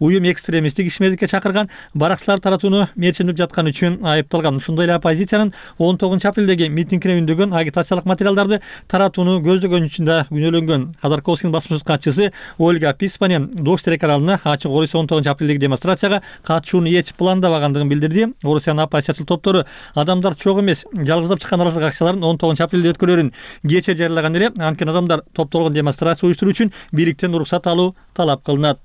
уюм экстремисттик ишмердикке чакырган баракчылар таратууну мерчемдеп жатканы үчүн айыпталган. Ошондой эле оппозициянын 19 апрелдеги митингине үндөгөн агитациялык материалдарды таратууну көздөгөн үчүн да күнөөлөнгөн. Ходорковскийдин басма сөз катчысы Ольга Писпаня Дождь телеканалына ачык Орусия 19 апрелдеги демонстрацияга катышууну эч пландабагандыгын билдирди. Орусиянын оппозициячыл топтору адамдар чогуу эмес, жалгыздап чыккан нааразылык акцияларын 19 апрелде өткөрөрүн кече жарыялаган эле. Анткени адамдар топтолгон демонстрация уюштуруу үчүн бийликтен уруксат алуу талап кылынат.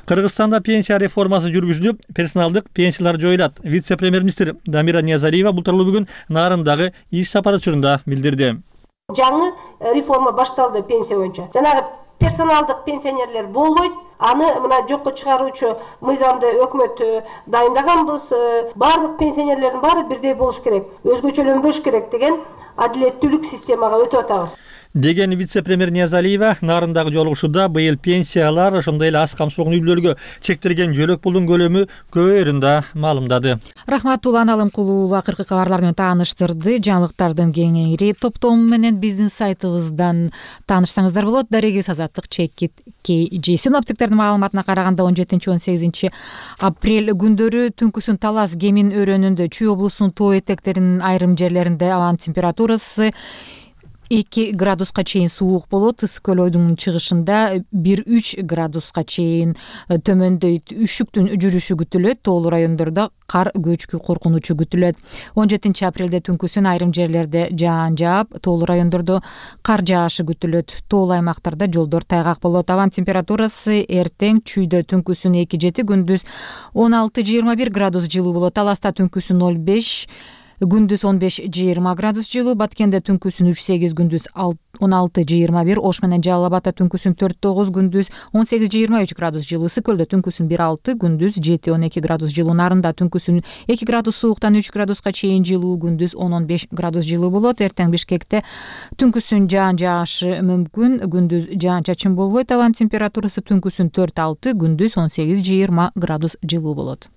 Кыргызстанда пенсия реформасы жүргүзүлүп, персоналдык пенсиялар жоюлат. Вице-премьер-министр Дамира Ниязалиева бул тууралуу бүгүн Нарындагы иш сапары учурунда билдирди. Жаңы реформа башталды пенсия боюнча. Жанагы персоналдык пенсионерлер болбойт. Аны мына жокко чыгаруучу мыйзамды өкмөт дайындаганбыз. Барлык пенсионерлердин баары бирдей болуш керек, өзгөчөлөнбөш керек деген адилеттүүлүк системага өтүп атабыз деген вице-премьер Ниязалиева Нарындагы жолугушууда быйыл пенсиялар ошондой эле аз камсыздуулугун үй бүлөлөргө чектелген жөлөк пулдун көлөмү көбөйөрүн да маалымдады. Рахмат, Улан Алымкулуу уулу акыркы кабарлар менен тааныштырды. Жаңылыктардын кеңири топтому менен биздин сайтыбыздан таанышсаңыздар болот. Дарегибиз Азаттык Чекит KG. Синоптиктердин маалыматына караганда 17-18 апрель күндөрү түнкүсүн Талас Кемин өрөөнүндө, Чүй облусунун тоо этектеринин айрым жерлеринде абанын температурасы 2 градуска чейин суук болот. Ысык көл ойдун чыгышында 1-3 градуска чейин төмөндөйт. Үшүктүн жүрүшү күтүлөт. Тоолуу райондордо кар көчкү коркунучу күтүлөт. 17 апрелде түнкүсүн айрым жерлерде жаан жаап, тоолуу райондордо кар жаашы күтүлөт. Тоолуу аймактарда жолдор тайгак болот. Абан температурасы эртең Чүйдө түнкүсүн 2-7, күндүз 16-21 градус жылуу болот. Таласта түнкүсүн 0-5, күндүз 15-20 градус жылуу, Баткенде түнкүсүн 3-8, күндүз 16-21, Ош менен Жалал Абадта түнкүсүн 4-9, күндүз 18-23 градус жылуу, Ысык көлдө түнкүсүн 1-6, күндүз 7-12 градус жылуу, Нарында түнкүсүн 2 градус сууктан 3 градуска чейин жылуу, күндүз 10-15 градус жылуу болот. Эртең Бишкекте түнкүсүн жаан жаашы мүмкүн, күндүз жаан чачын болбойт. Абан температурасы түнкүсүн 4-6, күндүз 18-20 градус жылуу болот.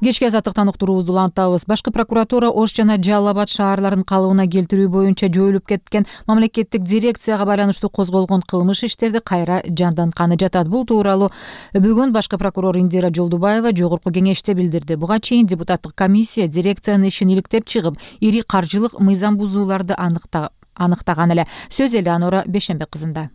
Кечки азаттыктан уктуруубузду улантабыз. Башкы прокуратура Ош жана Жалал Абад шаарларын калыбына келтирүү боюнча жоюлуп кеткен мамлекеттик дирекцияга байланыштуу козголгон кылмыш иштерди кайра жандантканы жатат. Бул тууралуу бүгүн башкы прокурор Индира Жолдубаева жогорку кеңеште билдирди. Буга чейин депутаттык комиссия дирекциянын ишин иликтеп чыгып, ири каржылык мыйзам бузууларды аныктаган эле. Сөз Элеонора Бешенбек кызында.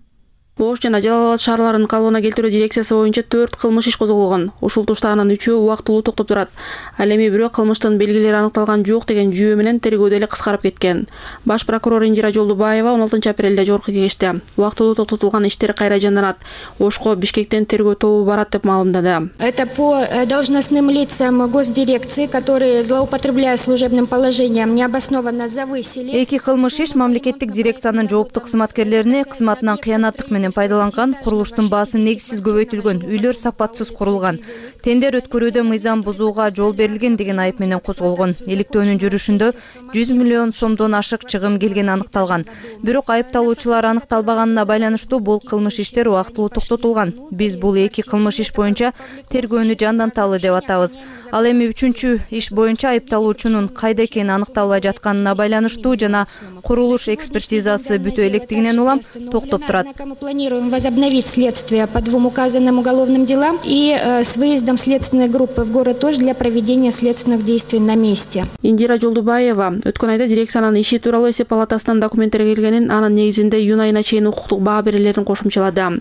Ош жана Жалал Абад шаарларын калыбына келтирүү дирекциясы боюнча 4 кылмыш иш козголгон. Ушул тушта анын 3-өө убактылуу токтоп турат. Ал эми бирөө кылмыштын белгилери аныкталган жок деген жүйө менен тергөөдө эле кыскарып кеткен. Баш прокурор Индира Жолдубаева 16 апрелде жогорку кеңеште убактылуу токтотулган иштер кайра жанданат. Ошко Бишкектен тергөө тобу барат деп маалымдады. Это по должностным лицам госдирекции, которые, злоупотребляя служебным положением, необоснованно завысили. Эки кылмыш иш мамлекеттик дирекциянын жооптук кызматкерлерине кызматынан кыянаттык менен пайдаланган, курулуштун баасын негизсиз көбөйтүлгөн, үйлөр сапатсыз курулган, тендер өткөрүүдө мыйзам бузууга жол берилген деген айып менен козголгон. Иликтөөнүн жүрүшүндө 100 миллион сомдон ашык чыгым келгени аныкталган. Бирок айыпталуучулар аныкталбаганына байланыштуу бул кылмыш иштер убактылуу токтотулган. Биз бул эки кылмыш иш боюнча тергөөнү жанданталы деп атабыз. Ал эми 3-чү иш боюнча айыпталуучунун кайда экени аныкталбай жатканына байланыштуу жана курулуш экспертизасы бүтө электигинен улам токтоп турат. Планируем возобновить следствие по 2 указанным уголовным делам и с выездом следственной группы в город Ош для проведения следственных действий на месте. Индира Жолдубаева өткөн айда дирекциянын иши тууралуу эсеп палатасынан документтер келгенин, анын негизинде июнь айына чейин укуктук баа берүүлөрүн кошумчалады.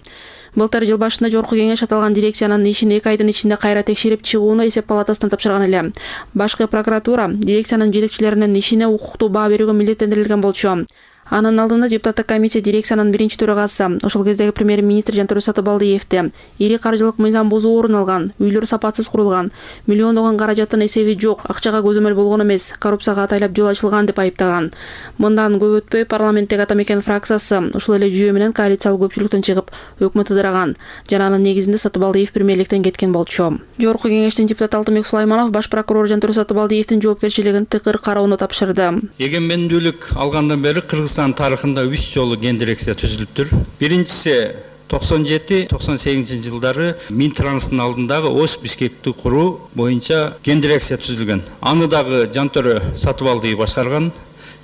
Былтыр жыл башында жогорку кеңеш аталган дирекциянын ишин 2 айдын ичинде кайра текшерип чыгууну эсеп палатасына тапшырган эле. Башкы прокуратура дирекциянын жетекчилеринин ишине укуктуу баа берүүгө милдеттендирилген болчу. Анын алдында депутаттык комиссия дирекциянын биринчи төрагасы, ошол кездеги премьер-министр Жантөрө Сатыбалдиевди ири каржылык мыйзам бузуу орун алган, үйлөр сапатсыз курулган, миллиондогон каражаттын эсеби жок, акчага көзөмөл болгон эмес, коррупцияга атайлап жол ачылган деп айыптаган. Мындан көп өтпөй парламенттеги Ата Мекен фракциясы ушул эле жүйө менен коалициялык көпчүлүктөн чыгып, өкмөт ыдыраган. Жана анын негизинде Сатыбалдиев премьерликтен кеткен болчу. Жогорку кеңештин депутаты Алтынбек Сулайманов баш прокурор Жантөрө Сатыбалдиевдин жоопкерчилигин тыкыр кароону тапшырды. Эгемендүүлүк алгандан бери Кыргызстан тарыхында 3 жолу ген дирекция түзүлүптүр. Биринчиси 97-98 жылдары Минтранстын алдындагы Ош Бишкекти куруу боюнча ген дирекция түзүлгөн. Аны дагы Жантөрө Сатыбалдиев башкарган.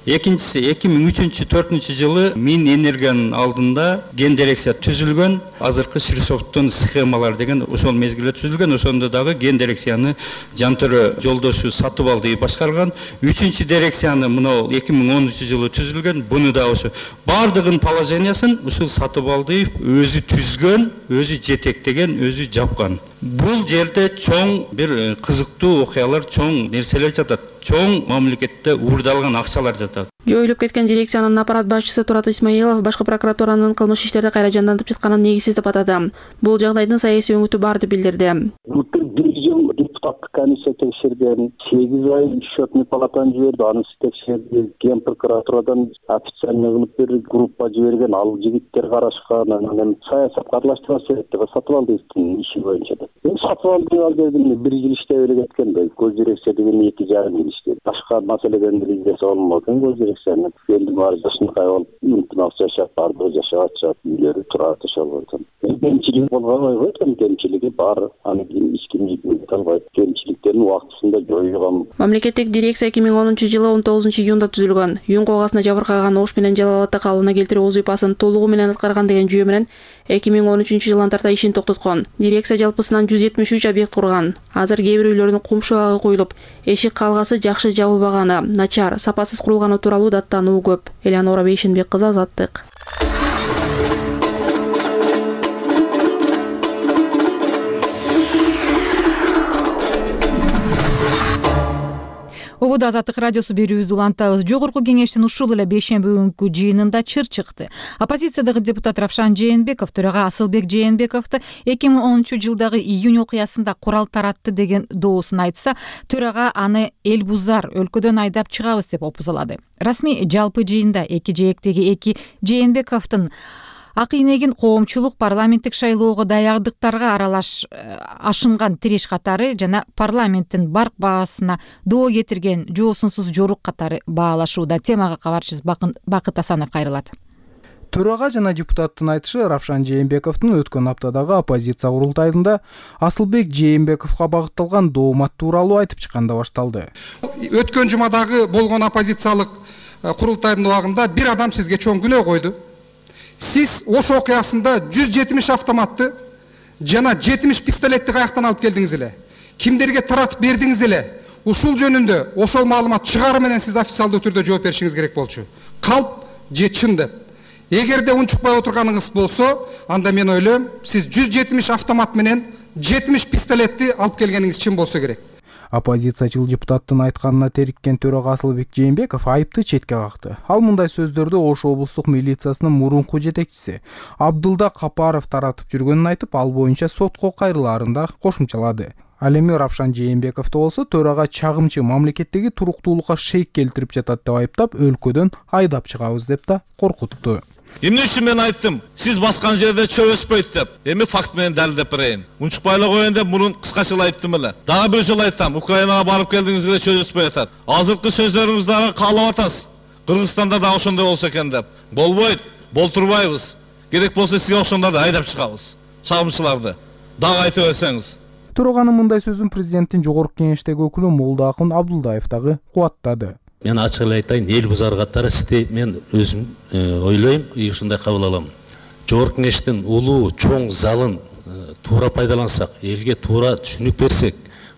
Экинчиси 2003-2004 жылы Минэнергиянын алдында ген дирекция түзүлгөн. Азыркы Ширсофттун схемалар деген ошол мезгилде түзүлгөн. Ошондо дагы ген дирекцияны Жантөрө Жолдошу сатып алды, башкарган. 3-чү дирекцияны мына 2010 жылы түзүлгөн. Буну да ошо бардыгын положениясын ушул сатып алды, өзү түзгөн, өзү жетектеген, өзү жапкан. Бул жерде чоң бир кызыктуу окуялар, чоң нерселер жатат. Чоң мамлекетте уурдалган акчалар жатат. Жоюлуп кеткен дирекциянын аппарат башчысы Турат Исмаилов башкы прокуратуранын кылмыш иштерди кайра жандантып жатканын негизсиз деп атады. Бул жагдайдын саясий өңүтү бар деп билдирди. Депутаттык комиссия текшерген, 8 ай счетный палатаны жиберди, анысы текшерди, ген прокуратурадан официально кылып бир группа жиберген, ал жигиттер карашкан, анан саясатка аралаштырбаш керек деп сатып алдыбыздын иши боюнча деп. Сатып алды, ал жерде 1 жыл иштеп эле кеткен да, көз дирекция деген 2,5 жыл иштеди. Башка маселеден бир издесе болмок экен көз дирекцияны. Элди баары жашынакай болуп, ынтымак жашап, баары жашап атышат, үйлөрү турат ошол. Кемчилик болгон экен, кемчилиги бар, аны эч ким жигип албайт. Кемчиликтерин убактысында жоюган. Мамлекеттик дирекция 2010 жылы 19 июнда түзүлгөн. Юн когасына жабыркаган ош менен жалалатты калыбына келтирүү вазыйпасын толугу менен аткарган деген жүйө менен 2013 жылдан тарта ишин токтоткон. Дирекция жалпысынан 173 объект курган. Азыр кээ бир үйлөрдүн кум шабагы коюлуп, эшик калгасы жакшы жабылбаганы, начар, сапасыз курулганы тууралуу даттануу көп. Элеонора Бейшенбек кызы, Азаттык. Обуда Азаттык радиосу берүүбүздү улантабыз. Жогорку кеңештин ушул эле бейшемби күнкү жыйынында чыр чыкты. Оппозициядагы депутат Равшан Жээнбеков төрага Асылбек Жээнбековду 2010 жылдагы июнь окуясында курал таратты деген доосун айтса, төрага аны эл бузар, өлкөдөн айдап чыгабыз деп опузалады. Расмий жалпы жыйында эки жээктеги эки Жээнбековдун ак ийнегин коомчулук парламенттик шайлоого даярдыктарга ашынган тиреш катары жана парламенттин барк баасына доо кетирген жоосунсуз жорук катары баалашууда. Темага кабарчыбыз Бакыт Асанов кайрылат. Төрага жана депутаттын айтышы, Равшан Жээнбековдун өткөн аптадагы оппозиция курултайында Асылбек Жээнбековго багытталган доомат тууралуу айтып чыкканда башталды. Өткөн жумадагы болгон оппозициялык курултайдын убагында бир адам сизге чоң күнөө койду. Сиз ош окуясында 170 автоматты жана 70 пистолетти каяктан алып келдиңиз эле? Кимдерге таратып бердиңиз эле? Ушул жөнүндө ошол маалымат чыгары менен сиз официалдуу түрдө жооп беришиңиз керек болчу. Калп же чын деп. Эгерде унчукпай отурганыңыз болсо, анда мен ойлойм, сиз 170 автомат менен 70 пистолетти алып келгениңиз чын болсо керек. Оппозициячыл депутаттын айтканына териккен төрага Асылбек Жээнбеков айыпты четке какты. Ал мындай сөздөрдү Ош облустук милициясынын мурунку жетекчиси Абдылда Капаров таратып жүргөнүн айтып, ал боюнча сотко кайрылаарын кошумчалады. Ал эми Равшан Жээнбековду болсо төрага чагымчы мамлекеттеги туруктуулукка шейк келтирип жатат деп айыптап, өлкөдөн айдап чыгабыз деп да коркутту. Эмне үчүн мен айттым, сиз баскан жерде чөп өспөйт деп. Эми факт менен далилдеп берейин. Унчукпай эле коеюн деп мурун кыскача айттым эле. Дагы бир жолу айтам, Украинага барып келдиңизге чөп өспөй атат. Азыркы сөздөрүңүздү дагы каалап атасыз. Кыргызстанда да ошондой болсо экен деп. Болбойт, болтурбайбыз. Керек болсо сизге ошондорду айдап чыгабыз. Чагымчыларды дагы айта берсеңиз. Туруганын мындай сөзүн президенттин жогорку кеңештеги өкүлү Молдоакын Абдулдаев дагы кубаттады. Мен ачык эле айтайын, эл бузар катары сизди мен өзүм ойлойм, ушундай кабыл алам. Жогорку кеңештин улуу чоң залын туура пайдалансак, элге туура түшүнүк берсек,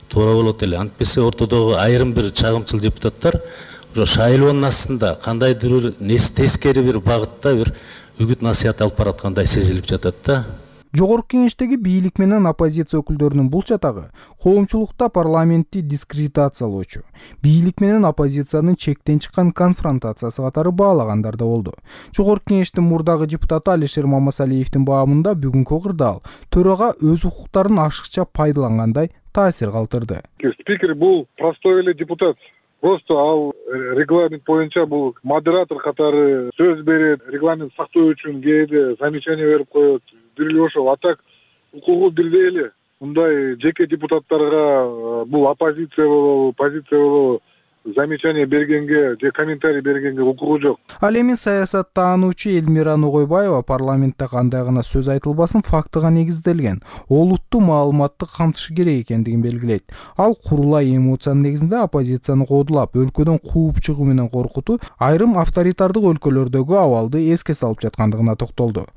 туура болот эле. Антпесе ортодогу айрым бир чагымчыл депутаттар ошо шайлоонун астында кандайдыр бир тескери бир багытта бир үгүт насыят алып бараткандай сезилип жатат да. Жогорку кеңештеги бийлик менен оппозиция өкүлдөрүнүн бул чатагы коомчулукта парламентти дискредитациялоочу, бийлик менен оппозициянын чектен чыккан конфронтациясы катары баалагандар да болду. Жогорку кеңештин мурдагы депутаты Алишер Мамасалиевдин баамында бүгүнкү кырдаал төрага өз укуктарын ашыкча пайдалангандай таасир калтырды. Спикер бул простой эле депутат. Просто ал регламент боюнча бул модератор катары сөз берет, регламент сактоо үчүн кээде замечание берип коет. Бирли ошол, а так укугу бирдей эле. Мындай жеке депутаттарга бул оппозиция болобу, позиция болобу, замечание бергенге же комментарий бергенге укугу жок. Ал эми саясаттануучу Элмира Ногойбаева парламентте кандай гана сөз айтылбасын фактыга негизделген, олуттуу маалыматты камтышы керек экендигин белгилейт. Ал курулай эмоциянын негизинде оппозицияны кодулап, өлкөдөн кууп чыгуу менен коркутуу айрым авторитардык өлкөлөрдөгү абалды эске салып жаткандыгына токтолду.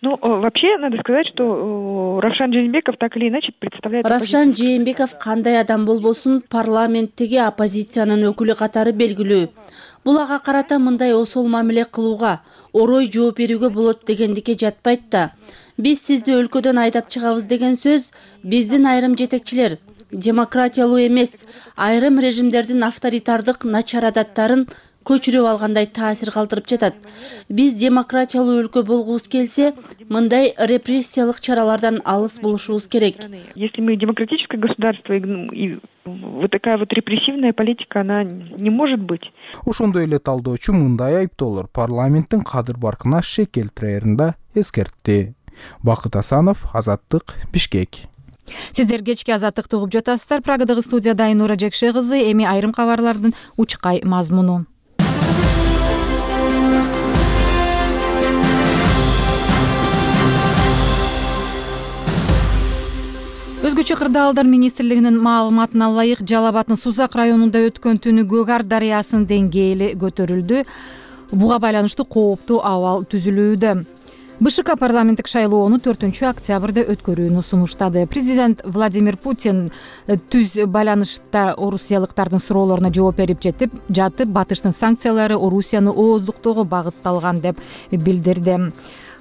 Вообще, надо сказать, что Равшан Жээнбеков так или иначе представляет... Равшан Жээнбеков кандай адам болбосун парламенттеги оппозициянын өкүлү катары белгилүү. Бул ага карата мындай осол мамиле кылууга, орой жооп берүүгө болот дегендикке жатпайт да. Биз сизди өлкөдөн айдап чыгабыз деген сөз биздин айрым жетекчилер демократиялуу эмес, айрым режимдердин авторитардык начар адаттарын көчүрүп алгандай таасир калтырып жатат. Биз демократиялуу өлкө болгубуз келсе, мындай репрессиялык чаралардан алыс болушубуз керек. Если мы демократическое государство, и вот такая вот репрессивная политика, она не может быть. Ошондой эле талдоочу мындай айыптоолор парламенттин кадыр баркына шек келтирерин да эскертти. Бакыт Асанов, Азаттык, Бишкек. Сиздер кечки Азаттыкты угуп жатасыздар. Прагадагы студияда Айнура Жекше кызы, эми айрым кабарлардын учкай мазмуну. Өзгөчө кырдаалдар министрлигинин маалыматына ылайык Жалал Абаддын Сузак районунда өткөн түнү Көк Ар дарыясынын деңгээли көтөрүлдү. Буга байланыштуу кооптуу абал түзүлүүдө. БШК парламенттик шайлоону 4-октябрда өткөрүүнү сунуштады. Президент Владимир Путин түз байланышта орусиялыктардын суроолоруна жооп берип жатып, батыштын санкциялары Орусияны ооздуктоого багытталган деп билдирди.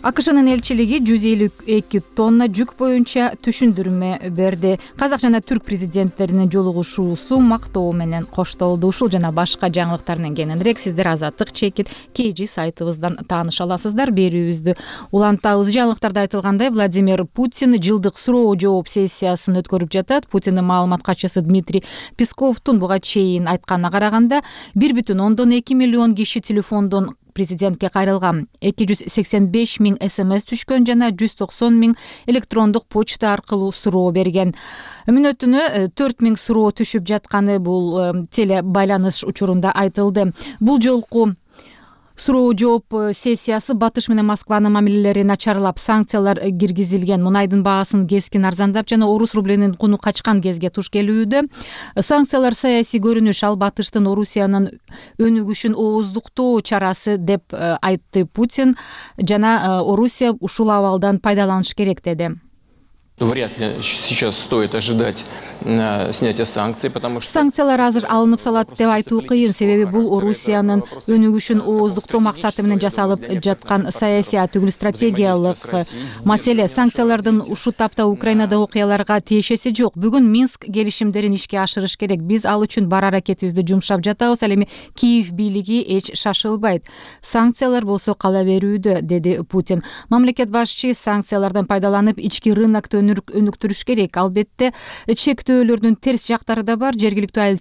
АКШнын элчилиги 152 тонна жүк боюнча түшүндүрмө берди. Казак жана түрк президенттеринин жолугушуусу мактоо менен коштолду. Ушул жана башка жаңылыктардан кененирээк сиздер Азаттык чекит KG сайтыбыздан тааныша аласыздар. Берүүбүздү улантабыз. Жаңылыктарда айтылгандай, Владимир Путин жылдык суроо жооп сессиясын өткөрүп жатат. Путиндин маалымат катчысы Дмитрий Песковдун буга чейин айтканына караганда 1,2 миллион киши телефондон президентке кайрылган. 285 000 СМС түшкөн жана 190 000 электрондук почта аркылуу суроо берген. Мүнөтүнө 4 000 суроо түшүп жатканы бул теле байланыш учурунда айтылды. Бул жолку суроо жооп сессиясы Батыш менен Москванын мамилелери начарлап, санкциялар киргизилген, мунайдын баасын кескин арзандап жана орус рублинин куну качкан кезге туш келүүдө. Санкциялар саясий көрүнүш, ал Батыштын Орусиянын өнүгүшүн ооздуктоо чарасы деп айтты Путин жана Орусия ушул абалдан пайдаланыш керек деди. Вряд ли сейчас стоит ожидать снятия санкций, потому что... Санкциялар азыр алынып салат деп айтуу кыйын, себеби бул Орусиянын өнүгүшүн ооздуктоо максаты менен жасалып жаткан саясий түгүл стратегиялык маселе. Санкциялардын ушул тапта Украинада окуяларга тиешеси жок. Бүгүн Минск келишимдерин ишке ашырыш керек. Биз ал үчүн бар аракетибизди жумшап жатабыз. Ал эми Киев бийлиги эч шашылбайт. Санкциялар болсо кала берүүдө, деди Путин. Мамлекет башчы санкциялардан пайдаланып ички рынокто өнүктүрүш керек. Албетте чектөөлөрдүн терс жактары да бар. Жергиликтүү айыл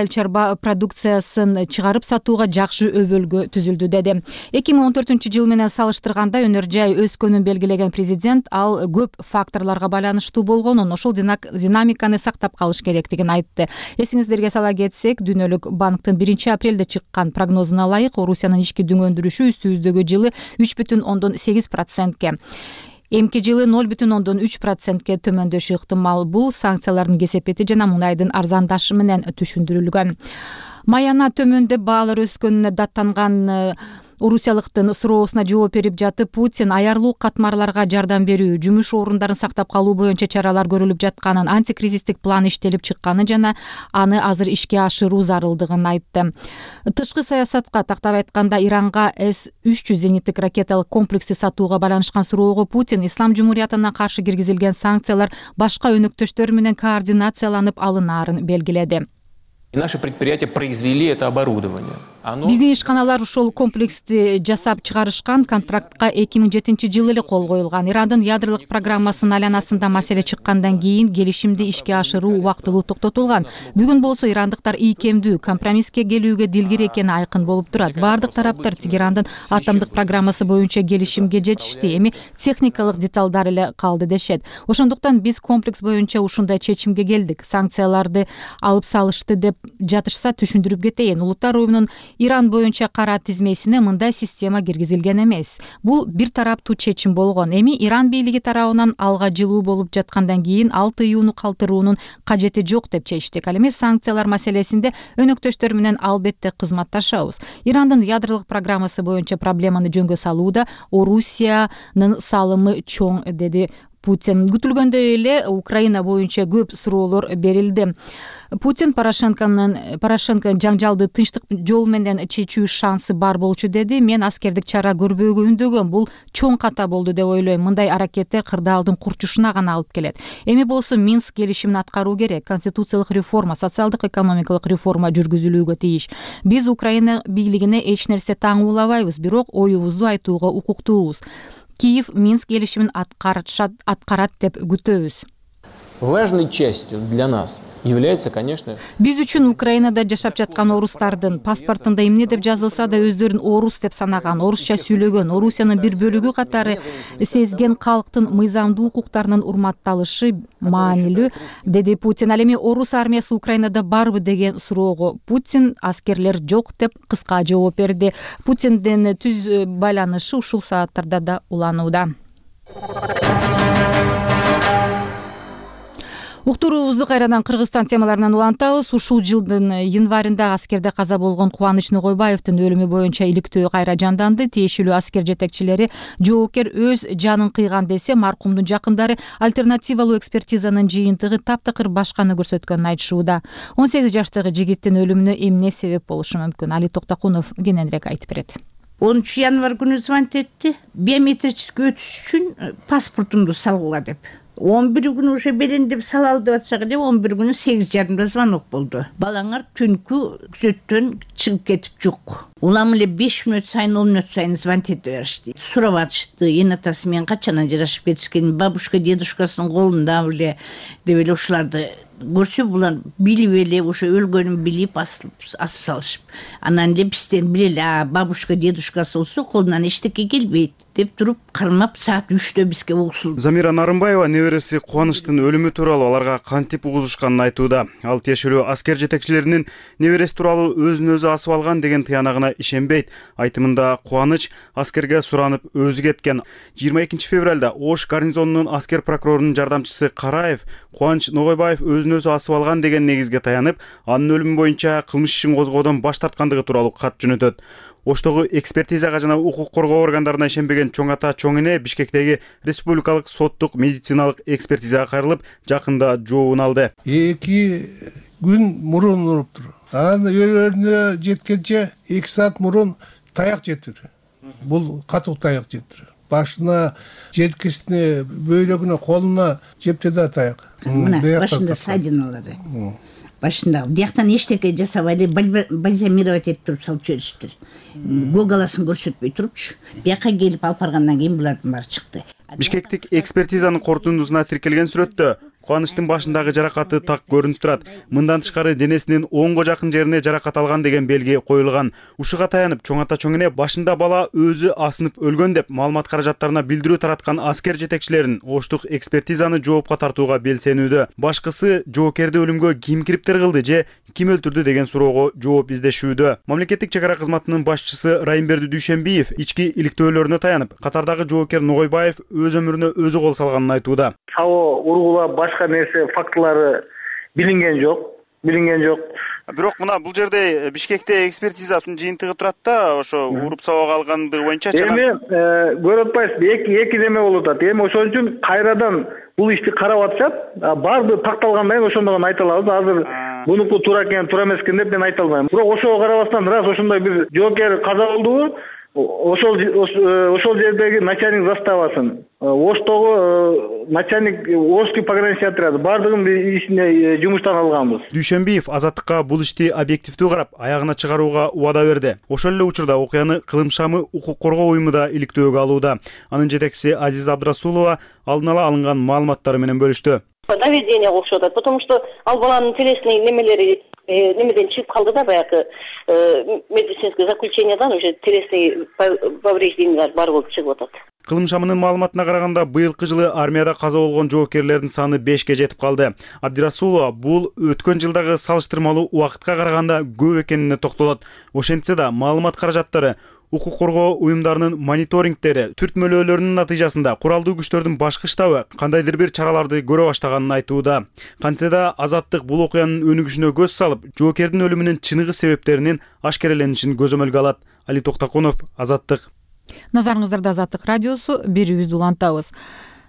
чарба продукциясын чыгарып сатууга жакшы өбөлгө түзүлдү, деди. 2014 жыл менен салыштырганда өнөр жай өскөнүн белгилеген президент ал көп факторлорго байланыштуу болгонун, ошол динамиканы сактап калыш керектигин айтты. Эсиңиздерге сала кетсек, Дүйнөлүк банктын 1-апрелде чыккан прогнозуна ылайык Орусиянын ички дүң өндүрүшү үстүбүздөгү жылы 3,8%. Эмки жылы 0,3%ке төмөндөшү ыктымал. Бул санкциялардын кесепети жана мунайдын арзандашы менен түшүндүрүлгөн. Маяна төмөндөп баалар өскөнүнө даттанган орусиялыктын суроосуна жооп берип жатып, Путин аярлуу катмарларга жардам берүү, жумуш орундарын сактап калуу боюнча чаралар көрүлүп жатканын, антикризистик план иштелип чыкканы жана аны азыр ишке ашыруу зарылдыгын айтты. Тышкы саясатка тактап айтканда, Иранга С-300 зениттик ракеталык комплекси сатууга байланышкан суроого Путин Ислам Жумуриятына каршы киргизилген санкциялар башка өнөктөштөр менен координацияланып алынаарын белгиледи. Наши предприятия произвели это оборудование. Биздин ишканалар ушул комплексти жасап чыгарышкан контрактка 2007-жылы эле кол коюлган. Ирандын ядролук программасынын айланасында маселе чыккандан кийин келишимди ишке ашыруу убактылуу токтотулган. Бүгүн болсо ирандыктар ийкемдүү компромисске келүүгө дилгир экени айкын болуп турат. Бардык тараптар Тегерандын атомдук программасы боюнча келишимге жетишти, эми техникалык деталдар эле калды дешет. Ошондуктан биз комплекс боюнча ушундай чечимге келдик. Санкцияларды алып салышты деп жатышса түшүндүрүп кетейин. Улуттар уюмунун Иран боюнча кара тизмесине мындай система киргизилген эмес. Бул бир тараптуу чечим болгон. Эми Иран бийлиги тарабынан алга жылуу болуп жаткандан кийин ал тыюуну калтыруунун кажети жок деп чечтик. Ал эми санкциялар маселесинде өнөктөштөр менен албетте кызматташабыз. Ирандын ядролук программасы боюнча проблеманы жөнгө салууда Орусиянын салымы чоң, деди Путин. Күтүлгөндөй эле Украина боюнча көп суроолор берилди. Путин Порошенко жаңжалды тынчтык жол менен чечүү шансы бар болчу деди. Мен аскердик чара көрбөөгө үндөгөм. Бул чоң ката болду деп ойлойм. Мындай аракеттер кырдаалдын курчушуна гана алып келет. Эми болсо Минск келишимин аткаруу керек. Конституциялык реформа, социалдык экономикалык реформа жүргүзүлүүгө тийиш. Биз Украина бийлигине эч нерсе таңуулабайбыз, бирок оюбузду айтууга укуктуубуз. Киев Минск келишимин аткарат деп күтөбүз. Важной частью для нас является, конечно... Биз үчүн Украинада жашап жаткан орустардын паспортунда эмне деп жазылса да өздөрүн орус деп санаган, орусча сүйлөгөн, Орусиянын бир бөлүгү катары сезген калктын мыйзамдуу укуктарынын урматталышы маанилүү, деди Путин. Ал эми орус армиясы Украинада барбы деген суроого Путин аскерлер жок деп кыска жооп берди. Путиндин түз байланышы ушул сааттарда да уланууда. Уктуруубузду кайрадан Кыргызстан темаларынан улантабыз. Ушул жылдын январында аскерде каза болгон Кубаныч Ногойбаевдин өлүмү боюнча иликтөө кайра жанданды. Тиешелүү аскер жетекчилери жоокер өз жанын кыйган десе, маркумдун жакындары альтернативалуу экспертизанын жыйынтыгы таптакыр башканы көрсөткөнүн айтышууда. 18 жаштагы жигиттин өлүмүнө эмне себеп болушу мүмкүн? Али Токтакунов кененирээк айтып берет. 10 январь күнү звонить этти. Биометрический өтүш үчүн паспортумду салгыла деп. 11 күнү уже берен деп салалы деп атсак эле 11 күнү 8:30 звонок болду. Балаңар түнкү күзөттөн чыгып кетип жок. Улам эле 5 мүнөт сайын 10 мүнөт сайын звонить ете беришти. Сурап атышты, эне атасы менен качан ажырашып кетишкен, бабушка дедушкасынын колунда беле деп эле ушуларды көрсө булар билип эле ошо өлгөнүн билип асып салышып. Анан эле бизден билели, бабушка дедушкасы болсо колунан эчтеке келбейт деп туруп кармап саат 3-тө бизге угсулду. Замира Нарымбаева небереси Кубанычтын өлүмү тууралуу аларга кантип угузушканын айтууда. Ал тиешелүү аскер жетекчилеринин небереси тууралуу өзүн өзү асып алган деген тыянагына ишенбейт. Айтымында Кубаныч аскерге суранып өзү кеткен. 22 февралда Ош гарнизонунун аскер прокурорунун жардамчысы Караев Кубаныч Ногойбаев өзүн өзү асып алган деген негизге таянып, анын өлүмү боюнча кылмыш ишин козгоодон баш тарткандыгы тууралуу кат жөнөтөт. Оштогу экспертизага жана укук коргоо органдарына ишенбеген чоң ата чоң эне Бишкектеги республикалык соттук медициналык экспертизага кайрылып, жакында жообун алды. 2 күн мурун уруптур. Анын өлөрүнө жеткенче 2 саат мурун таяк жетир. Бул катуу таяк жетир. Башына, желкесине, бөйрөгүнө, колуна жепти да таяк. Мына башында садиналары. Башында бияктан эчтеке жасабай эле бальзамировать этип туруп салып жиберишиптир. Гоголасын көрсөтпөй турупчу. Бияка келип алып баргандан кийин булардын баары чыкты. Бишкектик экспертизанын корутундусуна тиркелген сүрөттө Кубанычтын башындагы жаракаты так көрүнүп турат. Мындан тышкары денесинин оңго жакын жерине жаракат алган деген белги коюлган. Ушуга таянып чоң ата чоң эне башында бала өзү асынып өлгөн деп маалымат каражаттарына билдирүү тараткан аскер жетекчилерин Оштук экспертизаны жоопко тартууга белсенүүдө. Башкысы жоокерди өлүмгө ким кириптер кылды же ким өлтүрдү деген суроого жооп издешүүдө. Мамлекеттик чек ара кызматынын башчысы Райымберди Дүйшенбиев ички иликтөөлөрүнө таянып, катардагы жоокер Ногойбаев өз өмүрүнө өзү кол салганын айтууда. Сабоо ургулап башка нерсе фактылары билинген жок. Бирок мына бул жерде Бишкекте экспертизасынын жыйынтыгы турат да, ошо уруп сабак алгандыгы боюнча эми көрүп атпайсызбы, эки неме болуп атат. Эми ошон үчүн кайрадан бул ишти карап атышат. Баардыгы такталгандан кийин ошондо гана айта алабыз. Азыр бунуку туура экен, туура эмес экен деп мен айта албайм. Бирок ошого карабастан раз ошондой бир жоокер каза болдубу? ошол жердеги начальник заставасын, Оштогу начальник Ошский пограничный отряд баардыгын ишине жумуштан алганбыз. Дүйшөнбиев Азаттыкка бул ишти объективдүү карап, аягына чыгарууга убада берди. Ошол эле учурда окуяны Кылым Шамы укук коргоо уюму да иликтөөгө алууда. Анын жетекчиси Азиза Абдрасулова алдын ала алынган маалыматтары менен бөлүштү. Доведение окшоп атат, потому что ал баланын телесный немелери немеден чыгып калды да, баягы медицинский заключениядан уже телесный повреждениялар бар болуп чыгып атат. Кылым Шамынын маалыматына караганда, быйылкы жылы армияда каза болгон жоокерлердин саны 5ке жетип калды. Абдирасулова бул өткөн жылдагы салыштырмалуу убакытка караганда көп экенине токтолот. Ошентсе да маалымат каражаттары укук коргоо уюмдарынын мониторингтери, түртмөлөөлөрүнүн натыйжасында куралдуу күчтөрдүн башкы штабы кандайдыр бир чараларды көрө баштаганын айтууда. Кантсе да Азаттык бул окуянын өнүгүшүнө көз салып, жоокердин өлүмүнүн чыныгы себептеринин ашкереленишин көзөмөлгө алат. Али Токтакунов, Азаттык. Назарыңыздарда Азаттык радиосу, берүүбүздү улантабыз.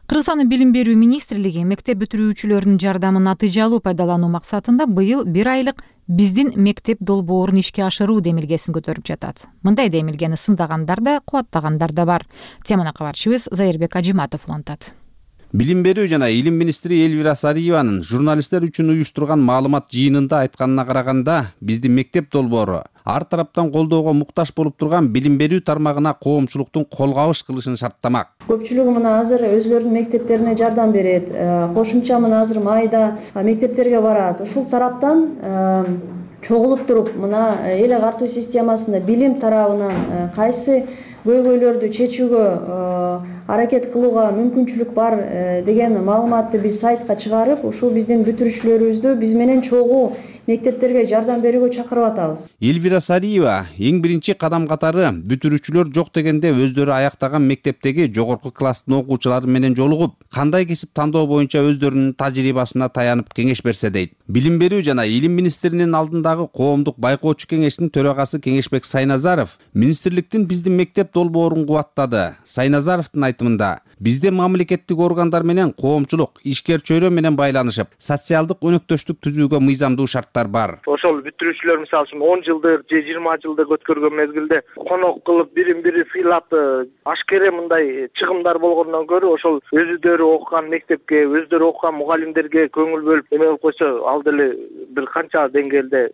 Кыргызстандын Билим берүү министрлиги мектеп бүтүрүүчүлөрүнүн жардамын натыйжалуу пайдалануу максатында быйыл 1 айлык биздин мектеп долбоорун ишке ашыруу демилгесин көтөрүп жатат. Мындай демилгени сындагандар да, кубаттагандар да бар. Теманы кабарчыбыз Зайырбек Ажиматов улантат. Билим берүү жана илим министри Элвира Сариеванын журналисттер үчүн уюштурган маалымат жыйынында айтканына караганда, биздин мектеп долбоору ар тараптан колдоого муктаж болуп турган билим берүү тармагына коомчулуктун кол кабыш кылышын шарттамак. Көпчүлүгү мына азыр өзлөрүнүн мектептерине жардам берет. Кошумча мына азыр майда мектептерге барат. Ушул тараптан чогулуп туруп, мына эл агартуу системасында билим тарабынан кайсы көйгөйлөрдү чечүүгө аракет кылууга мүмкүнчүлүк бар деген маалыматты биз сайтка чыгарып, ушул биздин бүтүрүүчүлөрүбүздү биз менен чогуу мектептерге жардам берүүгө чакырып атабыз. Элвира Сариева эң биринчи кадам катары бүтүрүүчүлөр жок дегенде өздөрү аяктаган мектептеги жогорку класстын окуучулары менен жолугуп, кандай кесип тандоо боюнча өздөрүнүн тажрыйбасына таянып кеңеш берсе дейт. Билим берүү жана илим министринин алдындагы коомдук байкоочу кеңештин төрагасы Кеңешбек Сайназаров министрликтин биздин мектеп долбоорун кубаттады. Сайназаровдун айтымында, бизде мамлекеттик органдар менен коомчулук ишкер чөйрө менен байланышып, социалдык өнөктөштүк түзүүгө мыйзамдуу шарттар бар. Ошол бүтүрүүчүлөр мисалы үчүн 10 жылдыр же 20 жылдыр өткөргөн мезгилде конок кылып, бирин-бири сыйлап, ашкере мындай чыгымдар болгондон көрө ошол өздөрү окуган мектепке, өздөрү окуган мугалимдерге көңүл бөлүп эме кылып койсо, ал деле бир канча деңгээлде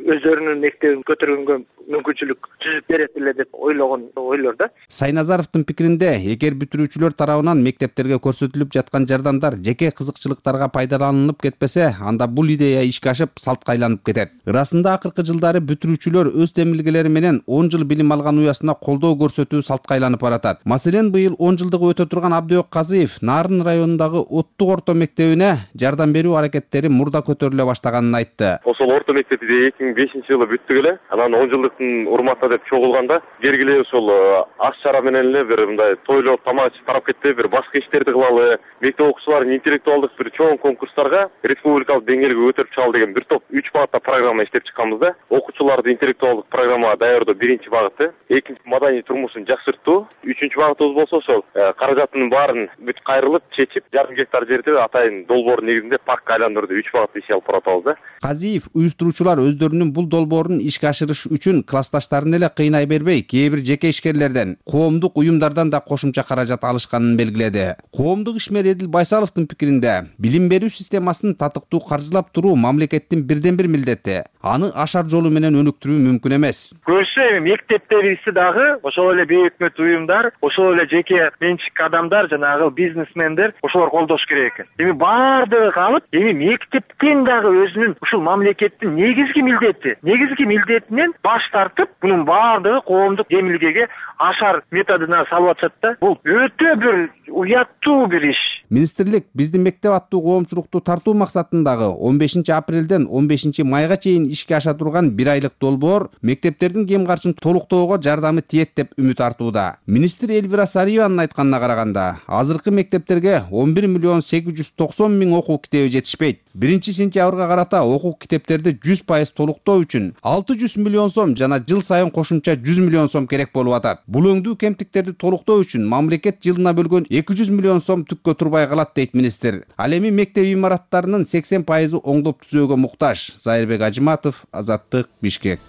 өздөрүнүн мектебин көтөргөнгө мүмкүнчүлүк түзүп берет эле деп ойлогон ойлор да. Сайназаровдун пикиринде, эгер бүтүрүүчүлөр тарабынан мектептерге көрсөтүлүп жаткан жардамдар жеке кызыкчылыктарга пайдаланылып кетпесе, анда бул идея ишке ашып салтка айланып кетет. Ырасында акыркы жылдары бүтүрүүчүлөр өз демилгелери менен 10 жыл билим алган уясына колдоо көрсөтүү салтка айланып баратат. Маселен, быйыл 10 жылдыгы өтө турган Абдыёк Казыев Нарын районундагы Оттук орто мектебине жардам берүү аракеттери мурда көтөрүлө баштаганын айтты. Ошол орто мектепти 2005-жылы бүттүк эле. Анан 10 жылдыктын урматына деп чогулганда, кергиле ошол аш чара менен эле бир мындай тойлоп тамак ичип тарап кетти, бир башка иштерди кылалы, мектеп окуучуларын интеллектуалдык бир чоң конкурстарга республикалык деңгээлге көтөрүп чыгалы деген бир топ 3 багытта программа иштеп чыкканбыз да. Окуучуларды интеллектуалдык программа даярдоо биринчи багыты, экинчи маданий турмушун жакшыртуу, үчүнчү багытыбыз болсо ошол каражаттын баарын бүт кайрылып чечип, жарым гектар жерди атайын долбоор негизинде паркка айландырды 3 багытты иш алып баратабыз да. Казиев уюштуруучулар өздөрүнүн бул долбоорун ишке ашырыш үчүн классташтарын эле кыйнай бербей, кээ бир жеке ишкерлерден, коомдук уюмдардан да кошумча каражат алышканын белгиледи. Коомдук ишмер Эдил Байсаловдун пикиринде, билим берүү системасын татыктуу каржылап туруу мамлекеттин бирден бир милдети. Аны ашар жолу менен өнүктүрүү мүмкүн эмес. Көбүнчө мектептерибизди дагы ошол эле бейөкмөт уюмдар, ошол эле жеке менчик адамдар, жанагы бизнесмендер ошолор колдош керек экен. Эми баардыгы калып, эми мектептен дагы өзүнүн ушул мамлекеттин негизги милдетинен баш тартып, мунун баардыгы коомдук демилгеге ашар методуна салып атышат да. Бул өтө бир уяттуу бир иш. Министрлик биздин мектеп аттуу коомчулукту тартуу максатындагы 15 апрелден 15 майга чейин ишке аша турган 1 айлык долбоор мектептердин кем карчын толуктоого жардамы тиет деп үмүт артууда. Министр Элвира Сариеванын айтканына караганда, азыркы мектептерге 11 миллион 890 миң окуу китеби жетишпейт. 1-сентябрга карата окуу китептерди 100% толуктоо үчүн 600 миллион сом жана жыл сайын кошумча 100 миллион сом керек болуп атат. Бул өңдүү кемтиктерди толуктоо үчүн мамлекет жылына бөлгөн 200 миллион сом түккө турбай калат дейт министр. Ал эми мектеп имараттарынын 80% оңдоп түзөөгө муктаж. Зайырбек Ажиматов, Азаттык, Бишкек.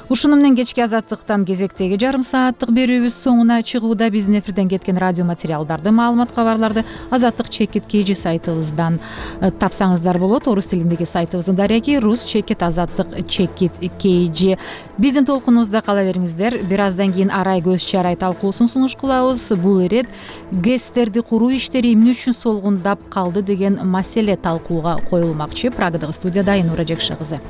Ушуну менен кечки азаттыктан кезектеги жарым сааттык берүүбүз соңуна чыгууда. Биздин эфирден кеткен радио материалдарды, маалымат, кабарларды Азаттык Чекит KG сайтыбыздан тапсаңыздар болот. Орус тилиндеги сайтыбыздын дареги рус чекит Азаттык Чекит KG. Биздин толкунубузда кала бериңиздер. Бир аздан кийин арай көз чарай талкуусун сунуш кылабыз. Бул ирет ГЭСтерди куруу иштери эмне үчүн солгундап калды деген маселе талкууга коюлмакчы. Прагадагы студияда Айнура Жекши кызы.